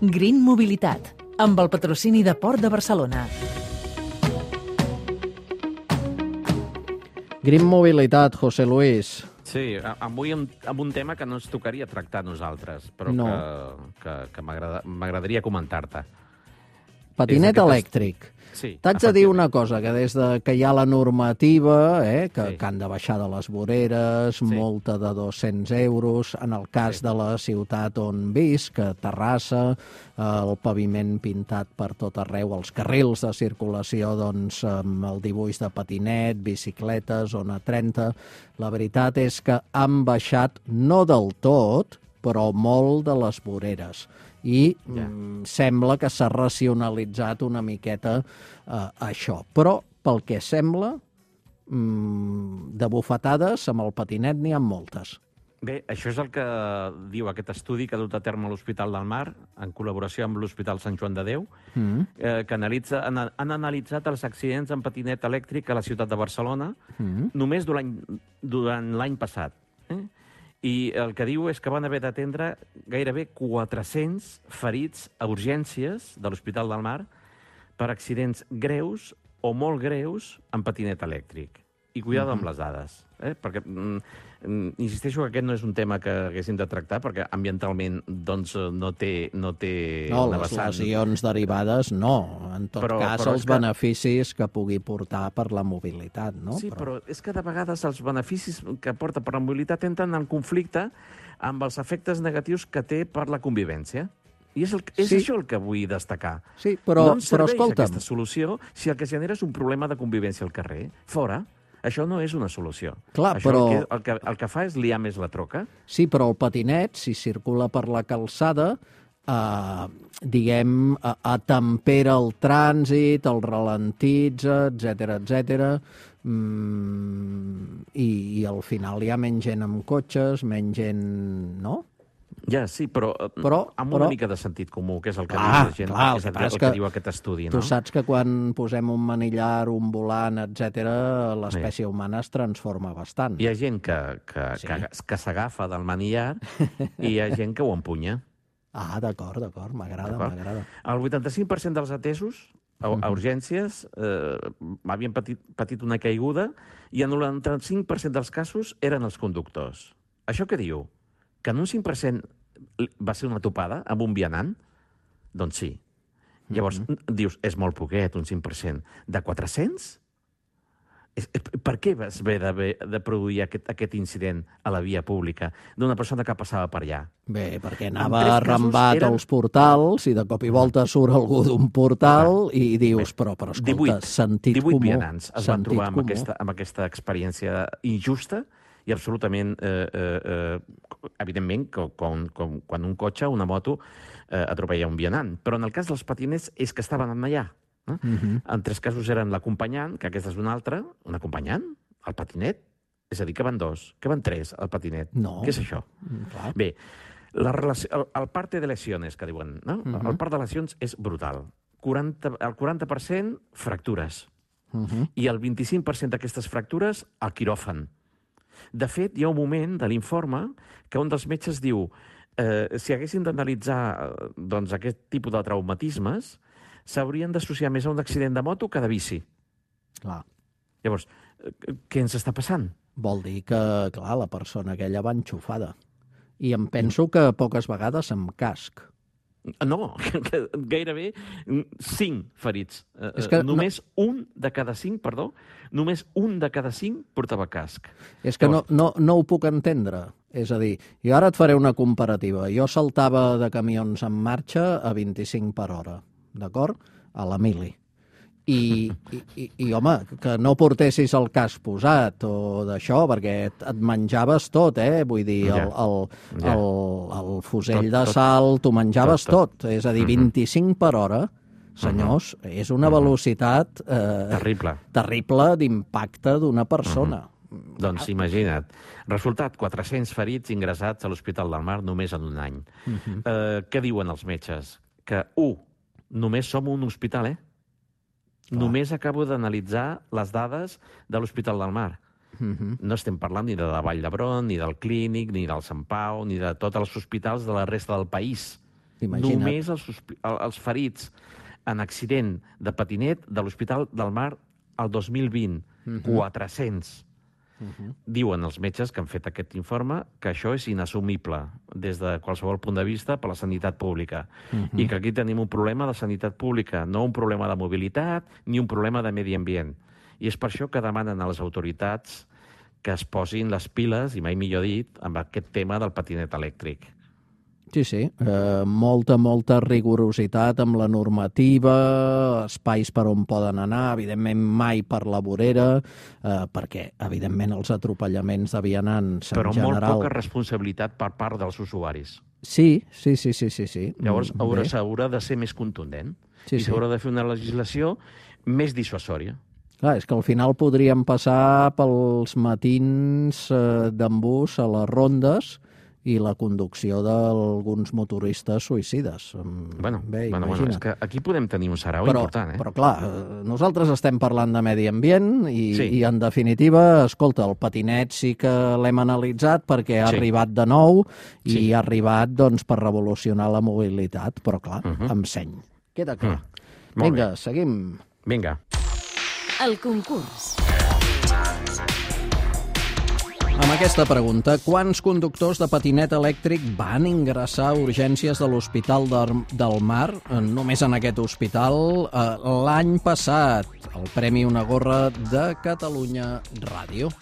Green Mobilitat, amb el patrocini de Port de Barcelona. Green Mobilitat, José Luis. Sí, avui amb un tema que no ens tocaria tractar a nosaltres, però que m'agradaria comentar-te. Patinet elèctric. Sí, t'haig de dir una cosa, que des que hi ha la normativa, que han de baixar de les voreres, multa de 200 euros, en el cas de la ciutat on visc, a Terrassa, el paviment pintat per tot arreu, els carrils de circulació, doncs, amb el dibuix de patinet, bicicletes, zona 30. La veritat és que han baixat, no del tot, però molt de les voreres. I sembla que s'ha racionalitzat una miqueta això. Però, pel que sembla, de bufetades amb el patinet n'hi ha moltes. Bé, això és el que diu aquest estudi que ha dut a terme l'Hospital del Mar, en col·laboració amb l'Hospital Sant Joan de Déu, que han analitzat els accidents en patinet elèctric a la ciutat de Barcelona només durant l'any passat. I el que diu és que van haver d'atendre gairebé 400 ferits a urgències de l'Hospital del Mar per accidents greus o molt greus en patinet elèctric. I cuidado amb les dades, perquè insisteixo que aquest no és un tema que haguéssim de tractar, perquè ambientalment doncs, no té una vessant. Les lesions derivades no. En tot cas, els beneficis que pugui portar per la mobilitat, no? Sí, però és que de vegades els beneficis que porta per la mobilitat entren en conflicte amb els efectes negatius que té per la convivència. I és això el que vull destacar. Sí, però no ens serveix escolta'm, aquesta solució si el que genera és un problema de convivència al carrer. Fora. Això no és una solució. Clar, això però el que fa és liar més la troca. Sí, però el patinet, si circula per la calçada, diguem, atempera el trànsit, el ralentitza, etc. I al final hi ha menys gent amb cotxes, menys gent, no? Ja, sí, però amb una mica de sentit comú, que és el que diu la gent, és el que diu aquest estudi. Tu saps que quan posem un manillar, un volant, etc., l'espècie humana es transforma bastant. Hi ha gent que s'agafa del manillar i hi ha gent que ho empunya. Ah, d'acord, m'agrada. El 85% dels atesos a urgències havien patit una caiguda i el 95% dels casos eren els conductors. Això què diu? Que en un 5% va ser una topada amb un vianant? Doncs sí. Llavors, dius, és molt poquet, un 5%. De 400? Per què vas haver de produir aquest incident a la via pública d'una persona que passava per allà? Bé, perquè anava arrambat als portals i de cop i volta surt algú d'un portal i dius, però escolta, sentit comú. 18 vianants es van trobar amb aquesta experiència injusta i absolutament, evidentment, quan un cotxe, una moto, atropella un vianant. Però en el cas dels patinets és que estaven allà. En 3 casos eren l'acompanyant, que aquesta és una altra, un acompanyant, el patinet, és a dir, que van 2, que van 3, el patinet. No. Què és això? Bé, el parte de lesiones, que diuen, no? El part de lesions és brutal. El 40% fractures. I el 25% d'aquestes fractures al quiròfan. De fet, hi ha un moment de l'informe que un dels metges diu si haguessin d'analitzar aquest tipus de traumatismes, s'haurien d'associar més a un accident de moto que de bici. Clar. Llavors, què ens està passant? Vol dir que, clar, la persona aquella va enxufada. I em penso que poques vegades amb casc. No, gairebé 5 ferits. Només un de cada 5 portava casc. És que no ho puc entendre. És a dir, jo ara et faré una comparativa. Jo saltava de camions en marxa a 25 per hora, d'acord? A la mili. I home, que no portessis el casc posat o d'això, perquè et menjaves tot, Vull dir, el fusell de salt, t'ho menjaves tot. És a dir, 25 per hora, senyors, és una velocitat terrible d'impacte d'una persona. Doncs imagina't. Resultat, 400 ferits ingressats a l'Hospital del Mar només en un any. Què diuen els metges? Que, només som un hospital, Només acabo d'analitzar les dades de l'Hospital del Mar. No estem parlant ni de la Vall d'Hebron, ni del Clínic, ni del Sant Pau, ni de tots els hospitals de la resta del país. Imagina't. Només els ferits en accident de patinet de l'Hospital del Mar el 2020. 400. Diuen els metges que han fet aquest informe que això és inassumible des de qualsevol punt de vista per la sanitat pública i que aquí tenim un problema de sanitat pública, no un problema de mobilitat ni un problema de medi ambient. I és per això que demanen a les autoritats que es posin les piles, i mai millor dit, amb aquest tema del patinet elèctric. Sí. Molta rigorositat amb la normativa, espais per on poden anar, evidentment mai per la vorera, perquè, evidentment, els atropellaments de vianants en general... Però molt poca responsabilitat per part dels usuaris. Sí. Llavors, s'haurà de ser més contundent i s'haurà de fer una legislació més dissuasòria. Clar, és que al final podríem passar pels matins d'embús a les rondes i la conducció d'alguns motoristes suïcides. Bueno, és que aquí podem tenir un sarau important. Però clar, nosaltres estem parlant de medi ambient i en definitiva, escolta, el patinet sí que l'hem analitzat perquè ha arribat de nou i ha arribat per revolucionar la mobilitat, però clar, amb seny. Queda clar. Vinga, seguim. Vinga. El concurs. Amb aquesta pregunta, quants conductors de patinet elèctric van ingressar a urgències de l'Hospital del Mar, només en aquest hospital, l'any passat? El Premi Una Gorra de Catalunya Ràdio.